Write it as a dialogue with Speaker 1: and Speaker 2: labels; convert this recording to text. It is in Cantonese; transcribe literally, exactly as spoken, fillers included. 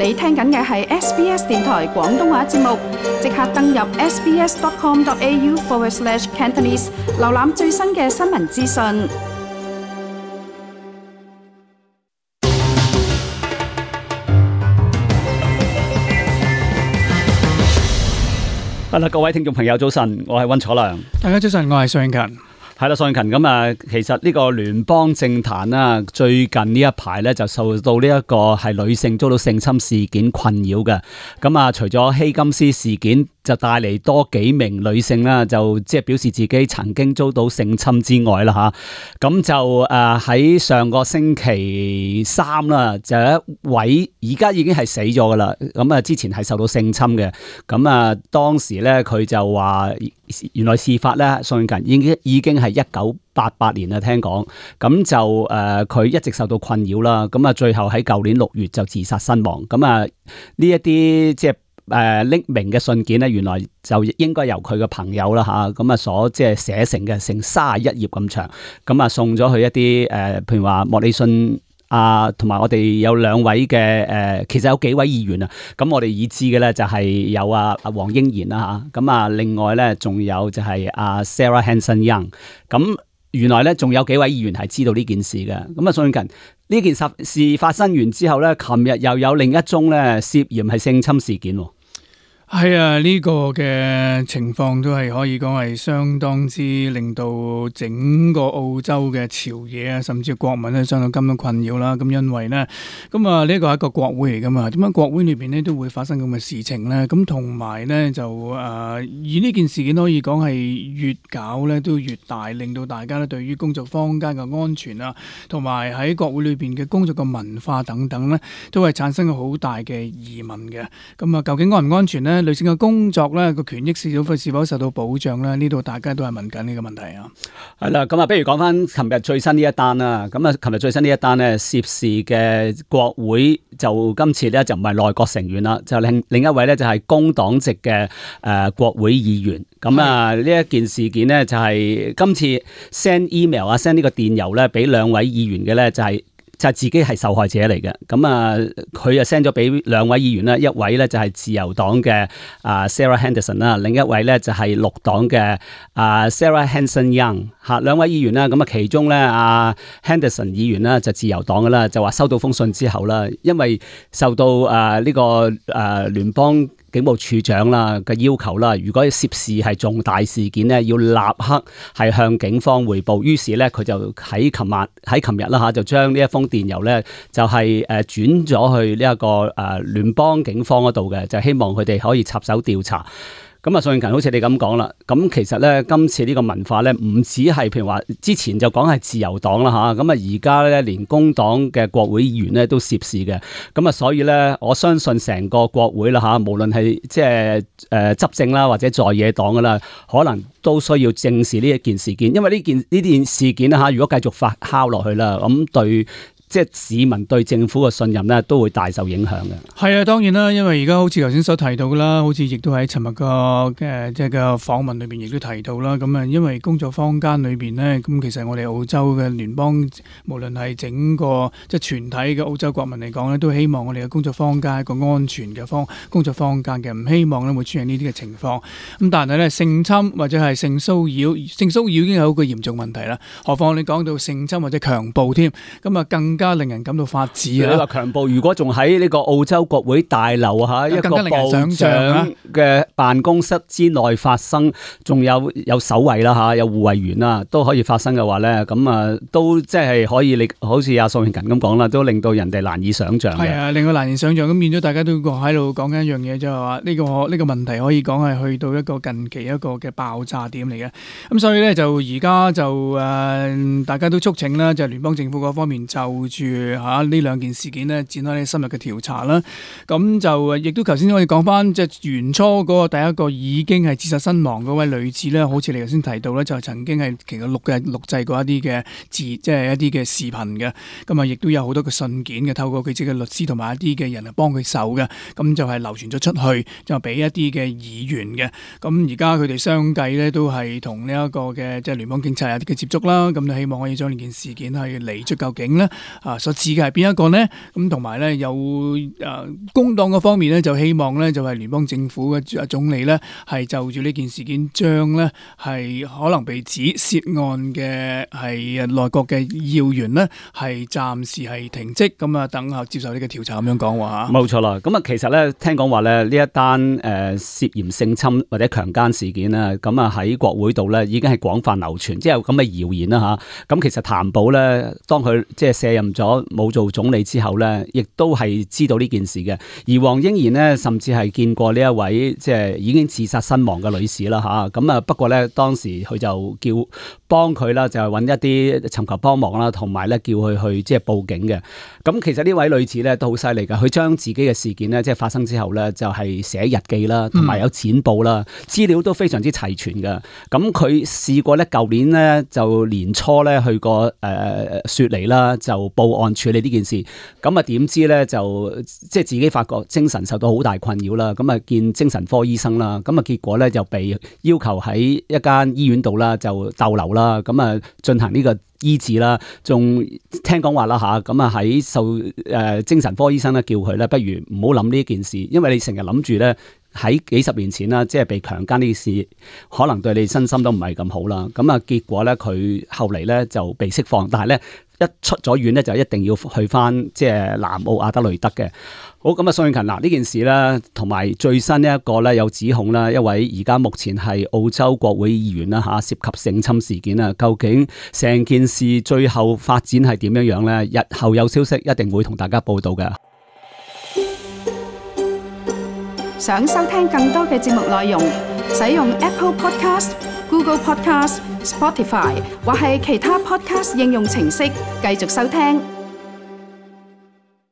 Speaker 1: 你聽緊嘅係 S B S 電台廣東話節目，即刻登入 sbs.com.au forward slash Cantonese， 瀏覽最新嘅新聞資訊。
Speaker 2: 好啦，各位聽眾朋友早晨，我係溫楚良。
Speaker 3: 大家早晨，我係宋永勤。
Speaker 2: 係啦，宋永勤咁啊，其實呢個聯邦政壇啦，最近呢一排咧就受到呢一個係女性遭到性侵事件困擾嘅。咁啊，除咗希金斯事件，就帶嚟多幾名女性啦，就即係表示自己曾經遭到性侵之外啦吓。咁就誒喺上個星期三啦，就有一位而家已經係死咗噶啦。咁啊，之前係受到性侵嘅。咁啊，當時咧佢就話，原來事發咧，宋永勤已經已經係一九八八年啦，聽講。咁就誒佢、呃、一直受到困擾啦。咁啊，最後喺舊年六月就自殺身亡。咁啊，呢一啲即係。誒匿名嘅信件咧，原來就應該由佢嘅朋友啦嚇，咁啊所即係寫成嘅，成三十一頁咁長，咁啊送咗去一啲誒、呃，譬如話莫里遜啊，同埋我哋有兩位嘅誒、呃，其實有幾位議員啊，咁我哋已知嘅咧就係有啊啊黃英賢啦嚇，咁啊另外咧仲有就係阿 Sarah Hanson Young，咁原來咧仲有幾位議員係知道呢件事嘅，咁啊宋永勤呢件事事發生完之後咧，琴日又有另一宗咧涉嫌係性侵事件。
Speaker 3: 係啊，呢、這個嘅情況都係可以講係相當之令到整個澳洲嘅朝野啊，甚至國民咧相當咁樣困擾啦。咁因為呢，咁啊呢個係一個國會嚟噶嘛，點解國會裏邊咧都會發生咁嘅事情呢？咁同埋呢，就誒、呃，而呢件事件可以講係越搞咧都越大，令到大家咧對於工作坊間嘅安全啊，同埋喺國會裏邊嘅工作嘅文化等等呢，都係產生咗好大嘅疑問嘅。咁啊，究竟安唔安全呢？女性嘅工作咧個權益是否是否受到保障咧？呢度大家都係問緊呢個問題啊。
Speaker 2: 係啦，咁啊，不如講翻琴日最新呢一單啦。咁啊，琴日最新呢一單咧，涉事嘅國會就今次咧就唔係內閣成員啦，就另另一位咧就係工黨籍嘅誒國會議員。咁啊，呢一件事件咧就係今次 send email 啊 send 呢個電郵咧俾兩位議員嘅咧就係、是。就係自己係受害者嚟嘅，咁啊，佢就 send 咗俾兩位議員啦，一位咧就係自由黨嘅啊 Sarah Henderson 啦，另一位咧就係綠黨嘅啊 Sarah Hanson Young 嚇，兩位議員啦，咁啊其中咧啊 Henderson 議員啦就自由黨嘅啦，就話收到封信之後啦，因為受到啊呢個啊聯邦警務處長啦嘅要求啦，如果涉事係重大事件咧，要立刻係向警方匯報。於是咧，佢就喺琴日喺琴日啦嚇，就將呢一封電郵咧，就係誒轉咗去呢一個誒聯邦警方嗰度嘅，就希望佢哋可以插手調查。咁啊，宋永勤好似你咁講啦，咁其實咧今次呢個文化咧，唔止係譬如話之前就講係自由黨啦嚇，咁啊而家咧連工黨嘅國會議員咧都涉事嘅，咁啊所以咧我相信成個國會啦嚇，無論係即係誒執政啦或者在野黨噶啦，可能都需要正視呢一件事件，因為呢件呢件事件啦嚇，如果繼續發酵落去啦，咁對。即係市民對政府嘅信任咧，都會大受影響嘅。
Speaker 3: 係啊，當然啦，因為而家好似頭先所提到嘅啦，好似亦都喺尋日個嘅即係個訪問裏邊亦都提到啦。咁啊，因為工作坊間裏邊呢，咁其實我哋澳洲嘅聯邦，無論係整個即係全體嘅澳洲國民嚟講咧，都希望我哋嘅工作坊間一個安全嘅方工作坊間嘅，唔希望咧會出現呢啲嘅情況。咁但係咧性侵或者係性騷擾，性騷擾已經係一個嚴重問題啦。何況你講到性侵或者強暴添，咁啊更加令人感到發指啊！
Speaker 2: 你話強暴，如果仲喺呢個澳洲國會大樓嚇一個部長嘅辦公室之內發生，仲有有守衛啦嚇，有護衛員啦，都可以發生嘅話咧，咁啊都即係可以，你好似阿宋永勤咁講啦，都令到人哋難以想像嘅。係啊，
Speaker 3: 令到難以想像，咁變咗大家都喺度講緊一樣嘢，就係話呢個呢個問題可以講係去到一個近期一個嘅爆炸點嚟嘅。咁所以咧就而家就誒大家都促請啦，就聯邦政府嗰方面就住嚇呢兩件事件咧展開呢深入嘅調查啦。咁就亦都頭先可以講翻，即係元初嗰個第一個已經係自殺身亡嗰位女子咧，好似你頭先提到咧，就曾經係其實錄嘅錄製過一啲嘅字，即係一啲嘅視頻嘅。咁啊，亦都有好多嘅信件嘅，透過佢自己嘅律師同埋一啲嘅人嚟幫佢手嘅。咁就係流傳咗出去，就俾一啲嘅議員嘅。咁而家佢哋相繼咧都係同呢一個嘅即係聯邦警察有啲嘅接觸啦。咁就希望可以將呢件事件係釐出究竟咧。啊所指嘅係邊一個呢？咁同埋咧有誒、呃、工黨嗰方面咧就希望咧就係、是、聯邦政府嘅總理咧係就住呢件事件將咧係可能被指涉案嘅係內閣嘅要員呢係暫時係停職，咁啊等候接受呢個調查咁樣講話嚇。
Speaker 2: 冇錯啦，咁啊其實咧聽講話咧呢一單誒涉嫌性侵或者強姦事件啊，咁啊喺國會度咧已經係廣泛流傳，即係有咁嘅謠言啦嚇。咁其實譚寶咧當佢即係卸任咗冇做總理之後咧，亦都係知道呢件事嘅。而黃英賢呢，甚至係見過呢一位即係已經自殺身亡嘅女士啦嚇。咁啊不過咧當時佢就叫幫佢啦，就係揾一啲尋求幫忙啦，同埋咧叫佢去即係報警嘅。咁其實呢位女子咧都好犀利㗎，佢將自己嘅事件咧即係發生之後咧就係寫日記啦，同埋有剪報啦，資料都非常之齊全㗎。咁佢試過咧舊年咧就年初咧去過誒雪梨啦，就報案處理呢件事。咁啊點知咧就即係自己發覺精神受到好大困擾啦，咁啊見精神科醫生啦，咁啊結果咧就被要求喺一間醫院度啦就逗留啦，咁啊進行呢個醫治啦，仲聽講話啦吓，咁啊喺受誒、呃、精神科醫生咧叫佢咧，不如唔好諗呢件事，因為你成日諗住咧喺幾十年前啦，即係被強姦呢件事，可能對你身心都唔係咁好啦。咁啊結果咧佢後嚟咧就被釋放，但係咧一出咗院咧就一定要去翻即係南澳阿德雷德嘅。好，咁啊，宋慶勤嗱呢件事咧，同埋最新呢一個咧有指控啦，一位而家目前係澳洲國會議員啦嚇，涉及性侵事件啊，究竟成件事最後發展係點樣樣咧？日後有消息一定會同大家報道嘅。
Speaker 1: 想收聽更多嘅節目內容，使用 Apple Podcast、Google Podcast、Spotify 或係其他 Podcast 應用程式繼續收聽。